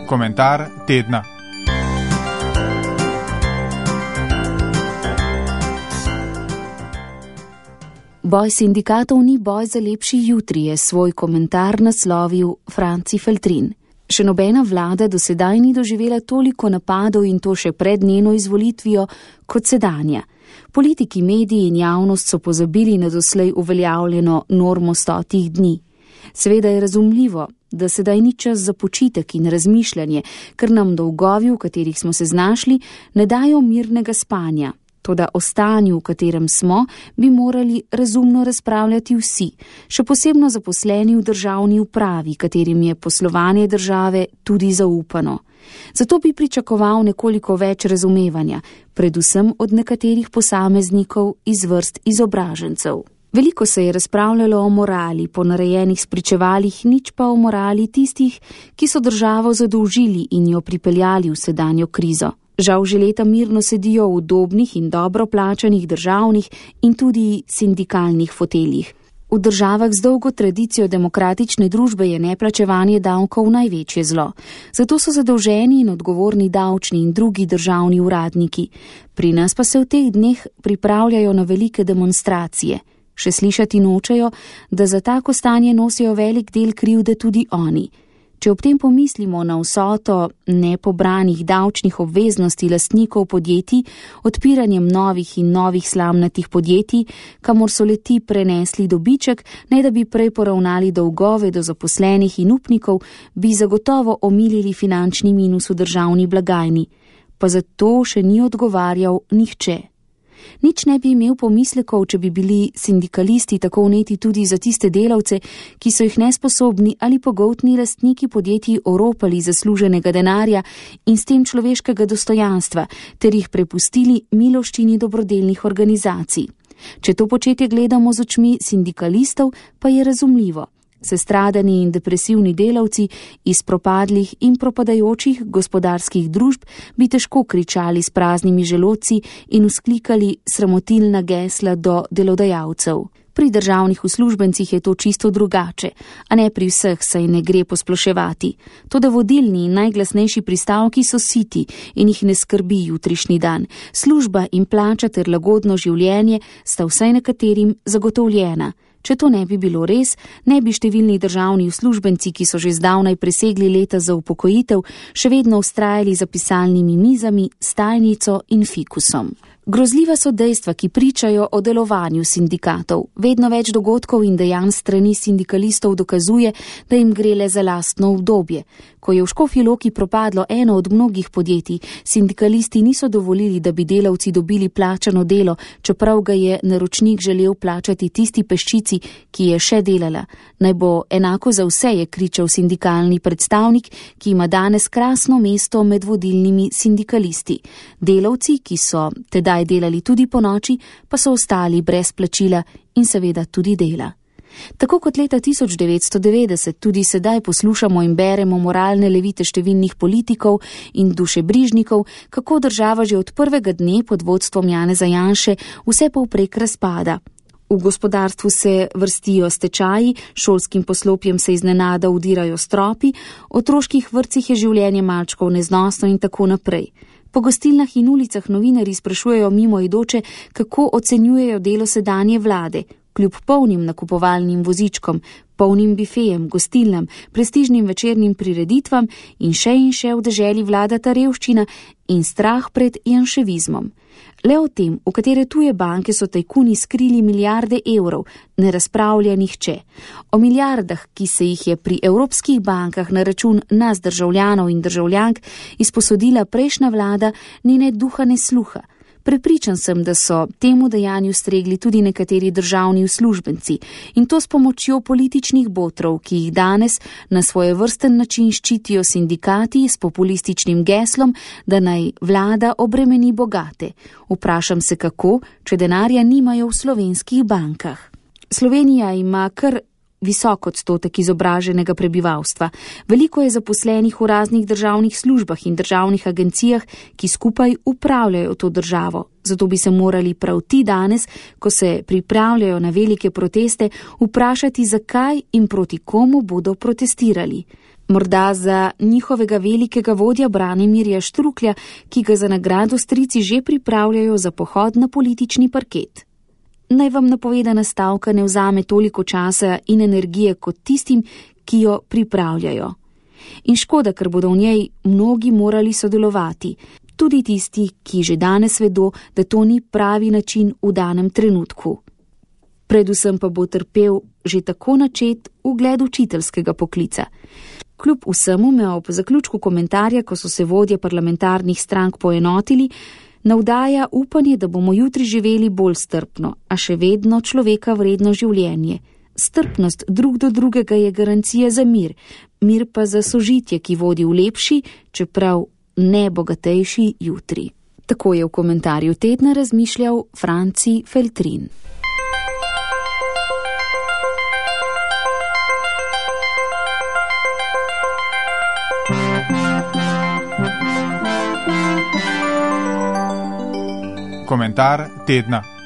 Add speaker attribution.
Speaker 1: Komentar tedna.
Speaker 2: Boj sindikatov ni boj za lepši jutri, je svoj komentar naslovil Franci Feltrin. Še nobena vlada do sedaj ni doživela toliko napadov in to še pred njeno izvolitvijo kot sedanja. Politiki, mediji in javnost so pozabili na doslej uveljavljeno normo 100 dni. Seveda je razumljivo, da sedaj ni čas za počitek in razmišljanje, ker nam dolgovi, v katerih smo se znašli, ne dajo mirnega spanja. Toda o stanju, v katerem smo, bi morali razumno razpravljati vsi, še posebno zaposleni v državni upravi, katerim je poslovanje države tudi zaupano. Zato bi pričakoval nekoliko več razumevanja, predvsem od nekaterih posameznikov iz vrst izobražencev. Veliko se je razpravljalo o morali, ponarejenih spričevalih, nič pa o morali tistih, ki so državo zadolžili in jo pripeljali v sedanjo krizo. Žal že leta mirno sedijo v udobnih in dobro plačanih državnih in tudi sindikalnih foteljih. V državah z dolgo tradicijo demokratične družbe je neplačevanje davkov največje zlo. Zato so zadolženi in odgovorni davčni in drugi državni uradniki. Pri nas pa se v teh dneh pripravljajo na velike demonstracije. Še slišati nočejo, da za tako stanje nosijo velik del krivde tudi oni. Če ob tem pomislimo na vsoto nepobranih davčnih obveznosti lastnikov podjetij, odpiranjem novih in novih slamnatih podjetij, kamor so le-ti prenesli dobiček, ne da bi prej poravnali dolgove do zaposlenih in upnikov, bi zagotovo omilili finančni minus v državni blagajni. Pa zato še ni odgovarjal nihče. Nič ne bi imel pomislekov, če bi bili sindikalisti tako vneti tudi za tiste delavce, ki so jih nesposobni ali pogoltni lastniki podjetij oropali zasluženega denarja in s tem človeškega dostojanstva, ter jih prepustili miloščini dobrodelnih organizacij. Če to početje gledamo z očmi sindikalistov, pa je razumljivo. Sestradani in depresivni delavci iz propadlih in propadajočih gospodarskih družb bi težko kričali s praznimi želodci in vzklikali sramotilna gesla do delodajalcev. Pri državnih uslužbencih je to čisto drugače, a ne pri vseh, saj ne gre posploševati. Toda vodilni in najglasnejši pristavki so siti in jih ne skrbi jutrišnji dan. Služba in plača ter lagodno življenje sta vsaj nekaterim zagotovljena. Če to ne bi bilo res, ne bi številni državni uslužbenci, ki so že zdavnaj presegli leta za upokojitev, še vedno vztrajali za pisalnimi mizami, stajnico in fikusom. Grozljiva so dejstva, ki pričajo o delovanju sindikatov. Vedno več dogodkov in dejanj strani sindikalistov dokazuje, da jim gre le za lastno obdobje. Ko je v Škofji Loki propadlo eno od mnogih podjetij, sindikalisti niso dovolili, da bi delavci dobili plačano delo, čeprav ga je naročnik želel plačati tisti peščici, ki je še delala. Naj bo enako za vse, je kričal sindikalni predstavnik, ki ima danes krasno mesto med vodilnimi sindikalisti. Delavci, ki so tedaj delali tudi po noči, pa so ostali brez plačila in seveda tudi dela. Tako kot leta 1990 tudi sedaj poslušamo in beremo moralne levite številnih politikov in dušebrižnikov, kako država že od prvega dne pod vodstvom Janeza Janše vse povprek razpada. V gospodarstvu se vrstijo stečaji, šolskim poslopjem se iznenada udirajo stropi, otroških vrtcih je življenje malčkov neznosno in tako naprej. Po gostilnah in ulicah novinarji sprašujejo mimoidoče, kako ocenjujejo delo sedanje vlade. Kljub polnim nakupovalnim vozičkom, polnim bifejem, gostilnam, prestižnim večernim prireditvam in še v deželi vladata revščina in strah pred janševizmom. Le o tem, v katere tuje banke so tajkuni skrili milijarde evrov, ne razpravlja nihče. O milijardah, ki se jih je pri evropskih bankah na račun nas državljanov in državljank izposodila prejšnja vlada, ni ne duha ne sluha. Prepričan sem, da so temu dejanju stregli tudi nekateri državni uslužbenci in to s pomočjo političnih botrov, ki jih danes na svojevrsten način ščitijo sindikati s populističnim geslom, da naj vlada obremeni bogate. Vprašam se kako, če denarja nimajo v slovenskih bankah. Slovenija ima kar visok odstotek izobraženega prebivalstva. Veliko je zaposlenih v raznih državnih službah in državnih agencijah, ki skupaj upravljajo to državo. Zato bi se morali prav ti danes, ko se pripravljajo na velike proteste, vprašati, zakaj in proti komu bodo protestirali. Morda za njihovega velikega vodja Branimirja Štruklja, ki ga za nagrado strici že pripravljajo za pohod na politični parket. Naj vam napovedana stavka ne vzame toliko časa in energije kot tistim, ki jo pripravljajo. In škoda, ker bodo v njej mnogi morali sodelovati, tudi tisti, ki že danes vedo, da to ni pravi način v danem trenutku. Predvsem pa bo trpel že tako načet ugled učiteljskega poklica. Kljub vsemu me ob zaključku komentarja, ko so se vodje parlamentarnih strank poenotili, navdaja upanje, da bomo jutri živeli bolj strpno, a še vedno človeka vredno življenje. Strpnost drug do drugega je garancija za mir, mir pa za sožitje, ki vodi v lepši, čeprav ne bogatejši jutri. Tako je v komentarju tedna razmišljal Franci Feltrin.
Speaker 1: Komentar tedna.